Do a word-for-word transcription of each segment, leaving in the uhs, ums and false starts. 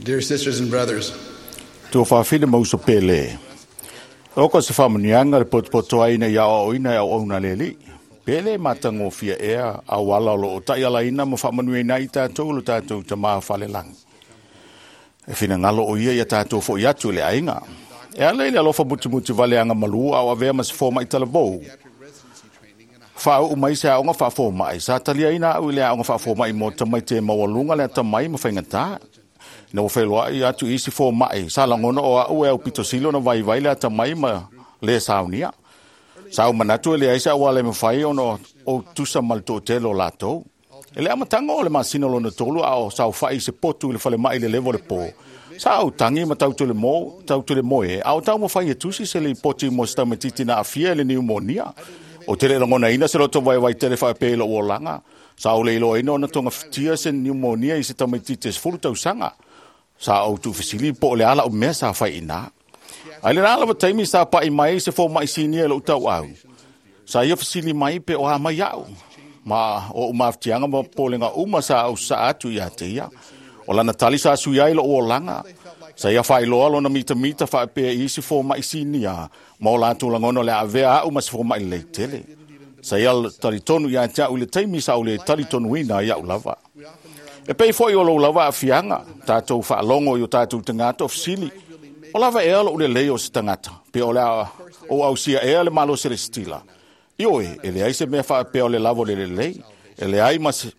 Dear sisters and brothers, Tuafafine ma uso pele. O ko se whamunianga le potopoto aina i ao ina e au auna leli. Pele matangofia ea au ala o lo o tai ala ina ma whamanui i tātou lo tātou ta maa whalelangi. E whina ngalo o ia ia tātou fo i atu le ainga. E ala ile alofa mutumutu vale anga malu au avea ma se fōma i talavou. Wha o mai se aonga wha fōma i. Sa talia ina au ile aonga wha fōma i mō tamai te mawalunga le atamai ma whaingata. Na o whelua i atu isi fōma'i. Sa langona o au e au pito silo na vai vai le atamai ma le saunia. Sa au manatu e le aisa au ale mawhai ono o tusa malto telo lātou. E le amatanga o le masina lona tolu a o sa whai se potu i le whale mai le levo le pō. Sa au tangi ma tau tule mo, tau tule moe, a o tau mawhai e tusi se le poti mo se taumatiti na awhia e le niumonia. O te le langona ina se loto vai vai tele whae pēlo o langa. Sa au le ilo ina ona tonga whitia se niumonia i se taumatiti se fulu tausanga. Sa au tu fisili po le ala o mea sa whai ina. Ai le rā lava taimi sa pai mai se fō mai sinia lo tau au. Sa ia fisili mai pe o a mai au. Ma o umaftianga ma polenga uma sa au sa atu ia te ia. O lana tali sa sui ai lo o langa. Sa ia whai loa lona mita mita wha pea i se fō mai sinia. Ma o lātou langono le avea au ma se fō mai lei tele. Sa ia tali tonu ia te au le taimi sa au le tali tonu ina ia au lava. E pei foi o lou lava a fianga, tātou whaalongo i o tātou tangata o fisili. O lava ea lo ule lei o se tangata, pe o lea o au sia ea le malo se le stila. Ioe, e le ai se mea wha pe o le lavo le le lei, e le ai mas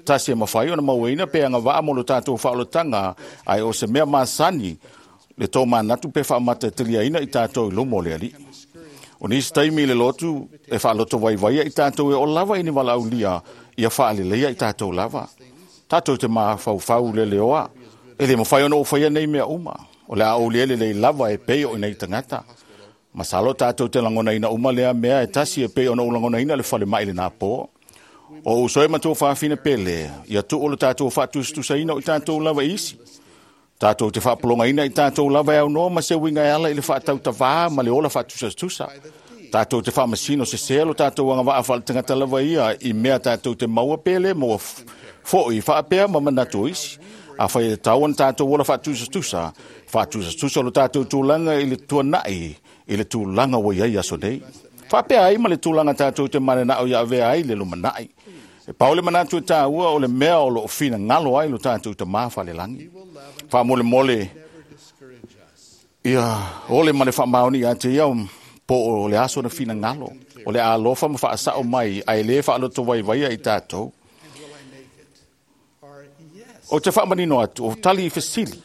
tasi e mawhai o na mauina pe anga waa mo lo tātou whaolotanga, ai o se mea masani le tō manatu pe whaamata telia ina i tātou i lomo le ali. O nisi taimi le lotu e whaaloto waiwaia i tātou e o lava ini wala aulia ia whaaleleia i tātou lava. Tātou te mafaufau le leoa, e le mawhai ono o whaia nei mea uma. O le a o lele lei lava e pei o inei tangata. Masalo tātou te langona ina uma lea mea e tasi e pei ono o langona ina le whale mai le nā pō. O usoe matua whaafine pele, ia tu o le tātou whaatustusa ina o i tātou lava isi. Tātou te whaapolonga ina i tātou lava e au noa ma se winga e ala i le whaatautawā ma le ola whaatusatusa. Tātou te whaamasino se selo tātou anga waa whaale tangata lava ia i mea tātou te maua pele maua foi whaapea ma manatu isi. A whai e tau ana tātou ola whaatusatusa. Whaatusatusa lo tātou tūlanga i le tuanai, i le tūlanga wa iai aso nei. Whaapea ai ma le tūlanga tātou te manenao ia avea ai le lumanai. E paole manatu e tāua o le mea o lo whina ngalo ai lo tātou te māwhale langi. Whaamole mole ia ole ma le whaamaoni ia te ia po o le aso na whina ngalo. O le alofa ma whaasao mai ai le whaaloto waiwaia i tātou. O te whaamanino atu, o tali i fesili.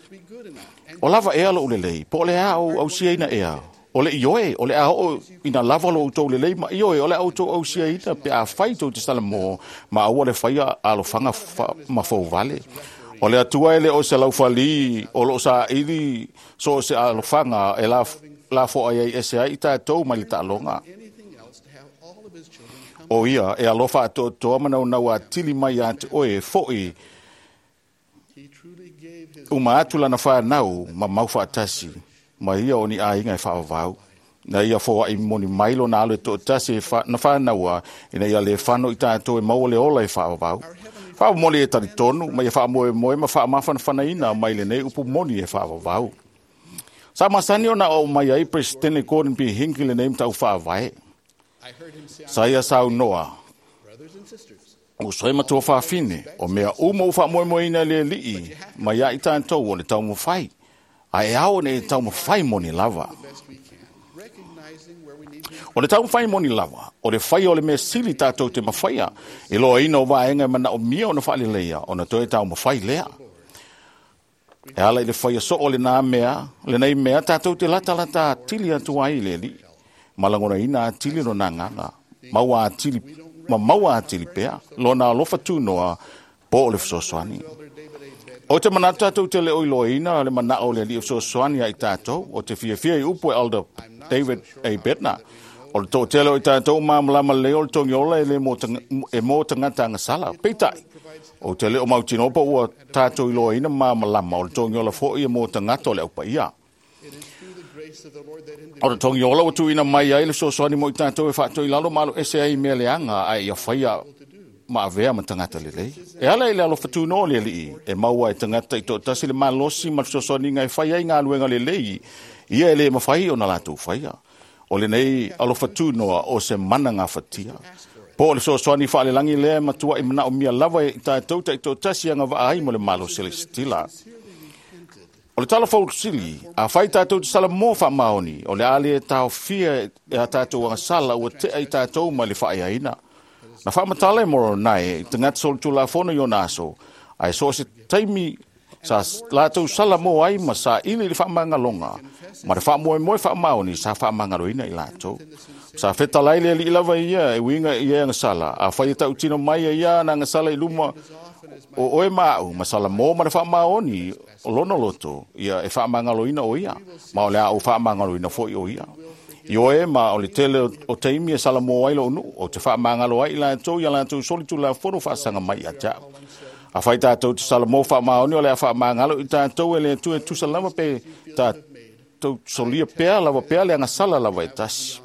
O lava ea lo ulelei, po o le ao au sia ina ea. O le ioe, o le ao ina lava lo utou lelei, ma ioe, o le au tau au sia ina pe a whai tau te sala mo, ma aua le whaia alofanga ma fau vale. O le atua ele o se laufali, o lo sa ili, so se alofanga, e la, la fo ai ai ese ai i tātou mai le ta'alonga. O ia, e alofa ato toa manau nau a tili mai a te oe, foi, uma atu lana whanau, ma mau whaatasi, ma ia o ni ainga e whaavau. Na ia fōa i moni mailo na alo e to'atasi e wha, na whanaua, ina ia le whano i tātou e maua le ola e whaavau. Whaamole e tari tonu, ma ia whaamoe moe ma whaamawhana ina mai le nei upu moni e whaavau. Sa masani o na o mai ai Presidente Gordon B. Hinckley le nei mtau whaavae. Sa ia sau noa. O soe matua whaafine, o mea uma u whaamoemoe ina le lii, ma ia i tātou o le taumawhai. A e ao ne taumawhai moni lava. O le taumawhai moni lava, o le whai o le mea sili tātou te mawhaia, e loa ina o vaenga e mana o mia o na whaalileia, o na toe taumawhai lea. E ala i le whaia so o le nā mea, le nei mea tātou te lata lata atili atu ai le li. Malangona ina atili no nā nganga, maua atili, ma maua atili pea, lona alofa tūnoa, po o le fesoasoani. O te manatu tātou te le oiloina, le mana o le li o fesoasoani ai tātou, o te fiafia i upu e Elder David A. Bednar. O le tō tele o i tātou māmalama le o le tongiola e le e mō tangata anga sala. Peitai, o te leo mautinopa ua tātou iloaina māmalama o le tongiola foi e mō tangata o le aupa ia. O le tongiola ua tuuina mai ai le fesoasoani mo i tātou e faatoi lalo malo ese ai mea leaga ae ia faia ma avea ma tagata lelei. E ala i le alofa tunoa o le Alii, e maua e tagata i toatasi le malosi ma le fesoasoaniga e fai ai galuega lelei, ia e le mafai ona latou faia. O lenei alofa tunoa o se mana gafatia. Po o le fesoasoani faalelagi lea e matuai manaomia lava i tatou taitoatasi agavaa ai mo le malo selesitila. O le tala fausili, a fai tatou te salamo faamaoni, o le a le taofia e a tatou agasala ua tea i tatou mai le faaiaina. Na faamatala e Moronai i tagata solitulafono i ona aso, ae so o se taimi sa latou salamo ai ma saili i le faamagaloga, ma le faamoemoe faamaoni sa faamagaloina i latou. Sa fetalai le Alii lava ia e uiga i e agasala, a fai e tautino mai e ia na agasala i luma o oe ma au, ma salamo ma le faamaoni o lona loto, ia e faamagaloina o ia, ma o le a ou faamagaloina foi o ia. I oe ma o le tele o taimi e salamo ai lou nuu, o te faamagalo ai i latou ia latou solitulafono faasaga mai ia te au. A fai tatou te salamo faamaoni o le a faamagalo i tatou e le Atua e tusa lava pe tatou solia pea lava pea le agasala lava e tasi.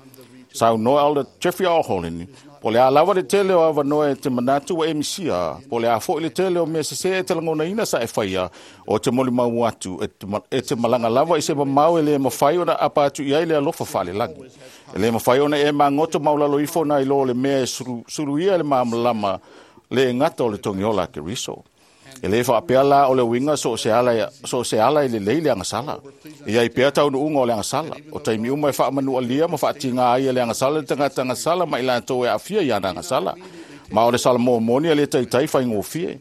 Saunoa Elder Jeffrey R. Holland, po le a lava le tele o avanoa e te manatu ua e misia, po le a foi le tele o mea sese e te lagonaina sa e faia, o te molimau atu e te, e te malaga lava i se mamao e le mafai ona apa atu i ai le alofa faalelagi. E le mafai ona e magoto maulalo ifo na i lo le mea e sulu, suluia le malamalama le gata o le togiola a Keriso. E le faapea la o le uiga so o se ala, so o se ala e lelei le agasala. E ai pea taunuuga o le agasala. O taimi uma e faamanualia ma faatiga ai e le agasala le tagata agasala ma i latou e aafia i ana agasala. Ma o le salamo moni e le taitai faigofie.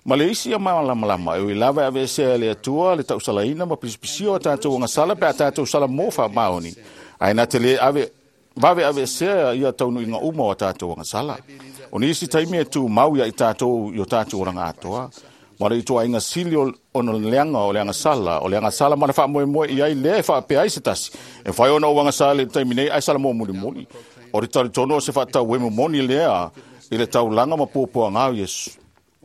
Ma le isi ia malamalama e ui lava e aveesea e le Atua le tausalaina ma pisipisia o tatou agasala pe a tatou salamo faamaoni. Ae na te le ave vave aveesea ia taunuuga uma o tatou agasala. O nisi taimi e tumau ia i tatou i o tatou olaga atoa. Ma le ituaiga sili ona leaga o le agasala, o le agasala ma le faamoemoe i ai lea e faapea ai se tasi. E mafai ona ou agasala i le taimi nei ae salamo mulimuli. O le talitonu o se faatauemu moni lea i le taulaga ma puapuaga o Iesu.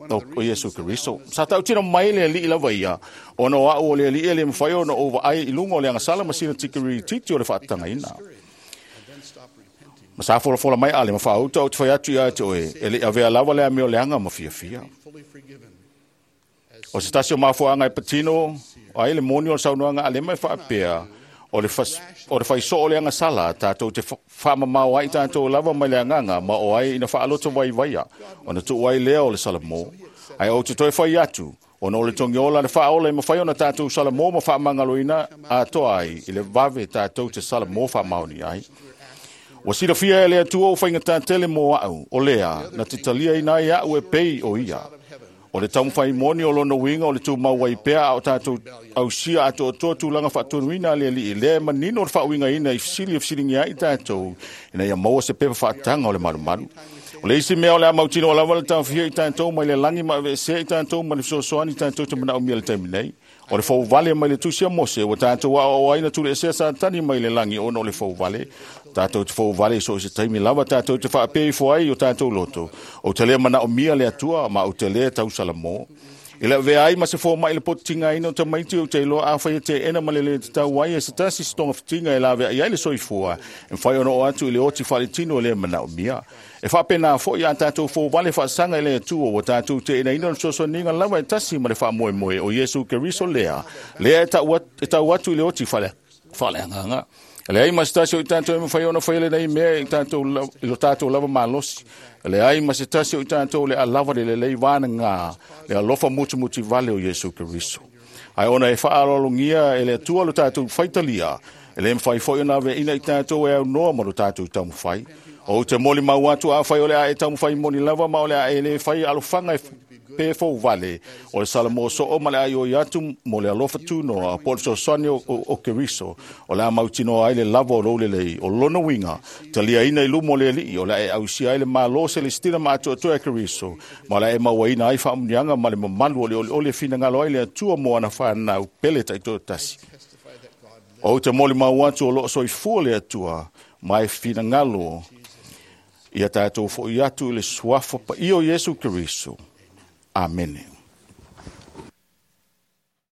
O Iesu Keriso. Sa tautino mai le Alii lava ia, ona o au o le Alii e le mafai ona ou vaai i luga o le agasala ma sina tikeri titi o le faatagaina. Ma sa folafola mai ale ma faauta o te fai atu ia te oe, e le avea lava le amio leaga ma fiafia. O se tasi o mafuaaga e patino ai le moni o le saunoaga a Alema e faapea, o le, fas, o le faisoo o le agasala, tatou te faamamao ai tatou lava mai le agaga, ma o ai ina faaloto vaivaia, ona tuu ai lea o le salamo. Ae ou te toe fai atu, ona o le togiola le faaola e mafai ona tatou salamo ma faamagaloina atoa ai, i le vave tatou te salamo faamaoni ai. Ua silafia e le Atua o faigata tele mo au, o lea, na te taliaina ai au e pei o ia. O le taumafai moni o lona uiga o le tumau ai pea a o tatou ausia atoatoa tulaga faatonuina a le Alii, lea e manino le faauigaina i fesili e fesiligia ai tatou, ina ia maua se pepa faataga o le malumalu. O le isi mea o le a mautinoa lava le taofia i tatou mai le lagi ma aveesea i tatou ma le fesoasoani i tatou te manaomia le taimi nei. O le fouvale mai le tusi a Mose, ua tatou aoao ai na tuleesea Satani mai le lagi ona o le fouvale. Tatou te fouvale i so o se taimi lava, tatou te faapea ifo ai o tatou loto. O te le manaomia le Atua, ma o te le tausalamo. I le avea ai ma se fomai le pototigaina o tamaiti o te iloa afai e teena ma le le tatau ai e se tasi se togafitiga e laveai ai le soifua, e mafai ona oo atu i le oti faaletino e le manaomia. E faapena foi a tatou fouvale faasaga i le Atua, ua tatou teenaina o le fesoasoaniga lava e tasi ma le faamoemoe o Iesu Keriso lea, lea e tau atu, e tau atu i le oti faale, faaleagaga. E leai ma se tasi o i tatou e mafai ona faia lenei mea i tatou i lo tatou lava malosi. E leai ma se tasi o i tatou le a lava le lelei vanaga le alofa mutimuti vale o Iesu Keriso. Ae ona e faaaloalogia e le Atua lo tatou faitalia, e le mafai foi ona aveaina i tatou e aunoa ma lo tatou taumafai. Ou te molimau atu afai o le a e taumafai moni lava ma o le a e le fai alofaga e pe fouvale, o le salamo soo ma le aioi atu mo le alofa tunoa po o le fesoasoani o, o, o Keriso, o le a mautinoa ai le lava o lou lelei, o lona uiga, taliaina i luma o le Alii, o le a e ausia ai le malo selestila ma atoatoa e Keriso, ma o le a e mauaina ai faamuniaga ma le mamalu o le olioli e finagalo ai le Atua mo ana whanau pele taitoatasi. Ou te molimau atu o loo soifua le Atua, ma e finagalo ia tatou foi atu i le suafa paia o Iesu Keriso. Amene.